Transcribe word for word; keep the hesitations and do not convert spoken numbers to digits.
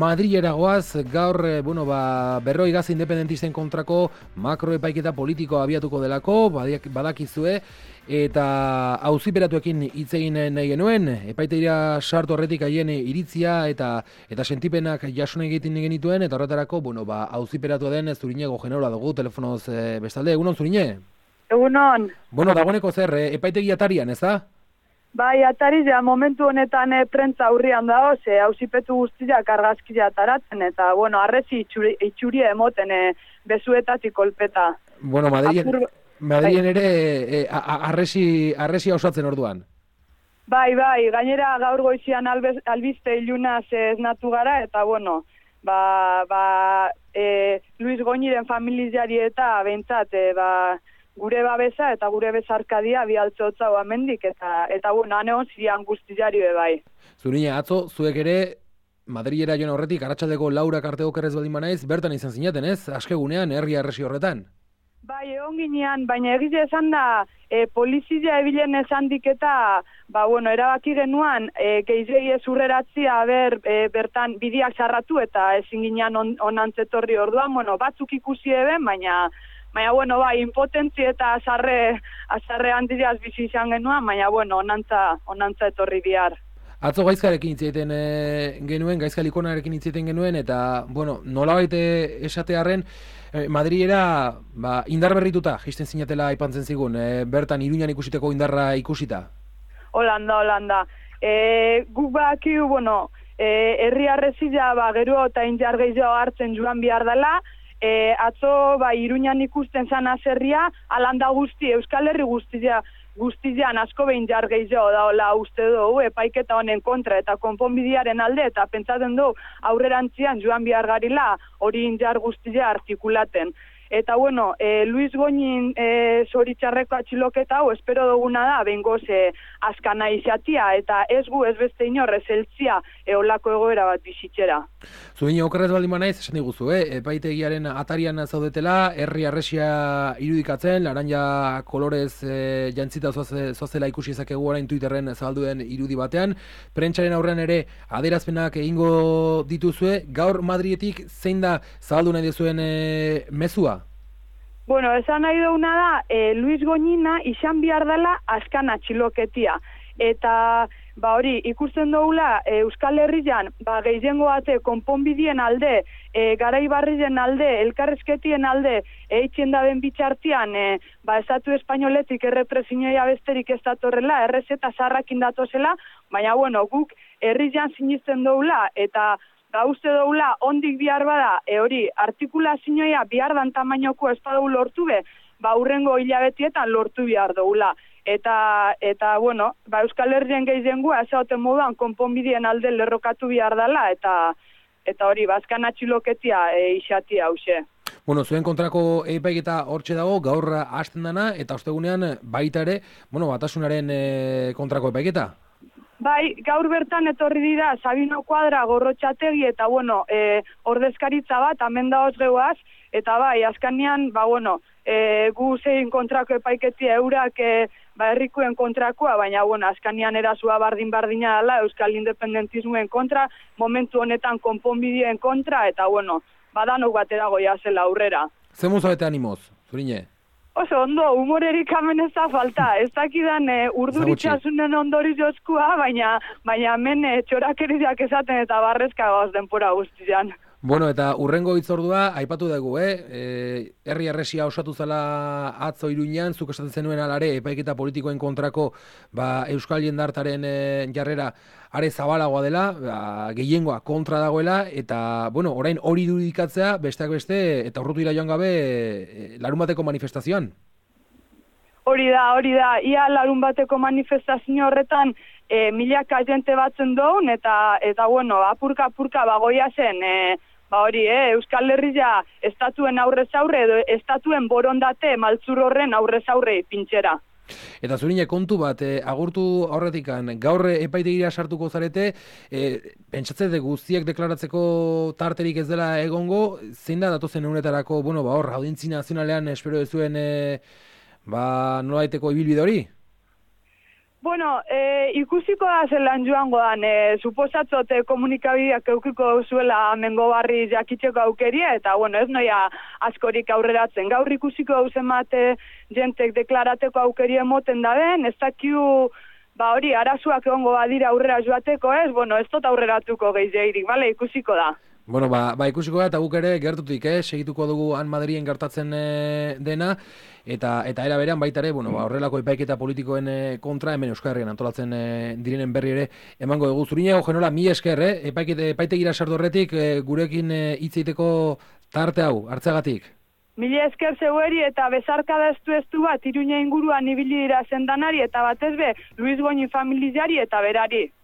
Madrilera goaz, gaur, eh, bueno, ba, berroi gaz independentisten kontrako makroepaiketa politikoa abiatuko delako, badak, badakizue, eta auziperatuekin hitz egin nahi genuen, epaitegira sartu horretik haien iritzia eta eta sentipenak jasun egiten genituen, eta horretarako, bueno, ba, auziperatua den Zuriñego Generola dugu, telefonoz e, bestalde, egunon Zuriñe? Egunon. Bueno, dagoeneko zer, e, epaitegi atarian, ez da? Bai, atari ja, momentu honetan e, prentza aurrian dago, ze auzipetu guztiak argazkia ataratzen, eta, bueno, arrezi itxuri, itxuria emoten e, bezuetatik kolpeta. Bueno, Madrien, Apur... Madrien ere e, arrezi, arrezi osatzen orduan. Bai, bai, gainera gaur goizian albez, albiste ilunaz esnatu gara, eta, bueno, ba, ba, e, Luis Goñiren familiari eta bentsat, e, ba, gure babesa eta gure bezarkadia bialtze hotza amendik eta eta bueno, aneon zian guztiari bai. Zuriña, atzo, zuek ere Madrilera joan horretik, arratsaldeko Laura Kartego kerrez baldin banaiz, bertan izan zinaten, ez? Askegunean, herri arresi horretan. Bai, egon ginean, baina egize esan da, e, polizia ebilen esan diketa, ba, bueno, erabaki genuan, e, geizei ez urreratzia, ber, e, bertan bidiak sarratu eta ezin ginean on, onantzetorri orduan, bueno, batzuk ikusi eben, baina Baina, bueno, bai, impotentzi eta azarre, azarre handiaz bizi izan genuen, baina, bueno, onantza, onantza etorri bihar. Atzo gaizkarekin hitz e, genuen, gaizka likonarekin hitz egiten genuen, eta, bueno, nolabait esatearren, e, Madrilera, ba, indar berrituta, jisten zinatela aipantzen zigun, e, bertan Iruñan ikusiteko indarra ikusita? Holanda, Holanda. E, guk bakiu, bueno, e, herri arrezila, ba, gero eta injar gehiago hartzen joan behar dela, E, atzo, ba, Iruñan ikusten zan azerria, alanda guzti, Euskal Herri guztia, guztian asko behin jar gehiago daola uste dugu, epaiketa honen kontra eta konponbidearen alde, eta pentsatzen du aurrerantzian joan behar garila hori injar guztia artikulaten. Eta, bueno, e, Luis Goñin e, zoritxarreko atxiloketa hau, espero duguna da, bengoz e, askana izatia, eta ez gu ez beste inorrez eltzia eolako egoera bat bizitzera. Zuen okerrez baldin banaiz, esan diguzu, eh? Epaitegiaren atarian zaudetela, herri arresia irudikatzen, laranja kolorez e, jantzita zoazela ikusi ezakegu orain Twitterren zabalduen irudi batean, prentsaren aurrean ere adierazpenak egingo dituzue, gaur Madrietik zein da zabaldu nahi duzuen e, mezua? Bueno, esan nahi dauna da, e, Luis Goñina izan behar dela askan atxiloketia. Eta, ba hori, ikusten dugula, e, Euskal Herrian, ba, gehiengo bate, konponbidien alde, e, garaibarrien alde, elkarrezketien alde, eitzen da ben bitxartian, e, ba, estatu espainoletik errepresioia besterik ez datorrela, errez eta zarrakin datozela, baina, bueno, guk herrian sinisten dugula, eta Ba, uste doula, ondik bihar bada, e hori, artikulazioa bihar dan tamainoko ez badau lortu be, ba, urrengo hilabetietan lortu bihar doula. Eta, eta bueno, ba, Euskal Herrien gehiengua, ez haute moduan, konponbideen alde lerrokatu bihar dela, eta eta hori, bazkan atxiloketia e, isatia hause. Bueno, zuen kontrako epaiketa hortxe dago, gaur hasten dana, eta ostegunean baita ere, bueno, batasunaren e, kontrako epaiketa? Bai, gaur bertan etorri dira Sabino Kuadra, Gorrotxategi eta, bueno, e, ordezkaritza bat, hemen da osgeuaz, eta bai, azkanean, ba, bueno, e, gu zein kontrako epaiketia eurak e, ba, herrikoen kontrakoa, baina, bueno, azkanean erasua bardin-bardina dela, Euskal Independentismoen kontra, momentu honetan konponbideen kontra, eta, bueno, badanok batera goia zela aurrera. Zer muzabete animoz, Zuriñe? Oso, ondo, humorerik hemen ez da falta. Ez dakidan e, urduritxasunen ondori jozkua, baina, baina hemen e, txorakeriak esaten eta barrezka gauz denpora guztian. Bueno, eta urrengo hitzordua, aipatu dugu, eh? E, herri arresia osatu zela atzo Iruñan, zuk esaten zenuen alare, epaiketa politikoen kontrako ba, Euskal Jendartaren e, jarrera are zabalagoa dela, ba, gehiengoa kontra dagoela, eta, bueno, orain hori irudikatzea, besteak beste, eta urrutu joan gabe, e, larun bateko manifestazioan. Hori da, hori da, ia larun bateko manifestazio horretan, e, milaka jente batzen doun, eta, eta bueno, apurka-apurka bagoia zen, e, ba hori, eh, Euskal Herria estatuen aurrez aurre, edo estatuen borondate maltzur horren aurrez aurre pintxera. Eta Zuriñe, kontu bat, eh, agurtu aurretikan, gaur epaitegira sartuko zarete, eh, pentsatzete guztiak deklaratzeko tarterik ez dela egongo, zein da datozen egunetarako, bueno, ba hor, audientzi nazionalean espero duzuen, eh, ba, nolaiteko ibilbide hori? Bueno, e, ikusiko da zelan joango dan, e, suposatzote komunikabideak eukiko zuela mengo barri jakitzeko aukeria, eta bueno, ez noia askorik aurreratzen. Gaur ikusiko hauzen mate jentek deklarateko aukeria emoten da den, ez dakiu, ba hori, arazuak egongo badira aurrera joateko ez, bueno, ez tot aurreratuko gehiagirik, bale, ikusiko da. Bueno, ba, ba ikusiko da, eta guk ere gertutik, eh? Segituko dugu han Madrien gertatzen e, dena, eta eta era berean baita ere, bueno, ba, horrelako epaiketa politikoen e, kontra, hemen Euskal Herrian antolatzen e, direnen berri ere emango dugu. Zuriñago, Genola, mi esker, eh? Epaikete, epaitegira sardorretik e, gurekin e, hitz egiteko tarte hau, hartzagatik. Mila esker zeueri eta bezarkada estu estu bat, Iruña inguruan ibili dira zendanari, eta batez be, Luis Goñi familiari eta berari.